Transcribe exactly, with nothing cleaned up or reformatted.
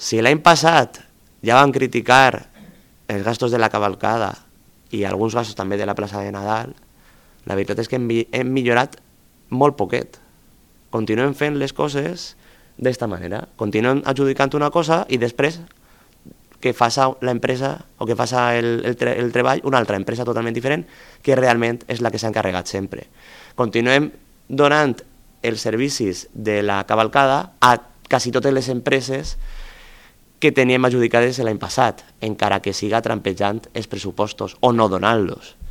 Si l'any passat ja van criticar els gastos de la cavalcada i alguns gastos també de la plaça de Nadal, la veritat és que hem, hem millorat molt poquet. Continuem fent les coses d'esta manera. Continuem adjudicant una cosa i després que faça l'empresa o que faça el, el, tre el treball una altra empresa totalment diferent que realment és la que s'ha encarregat sempre. Continuem donant els servicis de la cavalcada a quasi totes les empreses que teníem adjudicades l'any passat, encara que siga trampejant els pressupostos o no donant-los.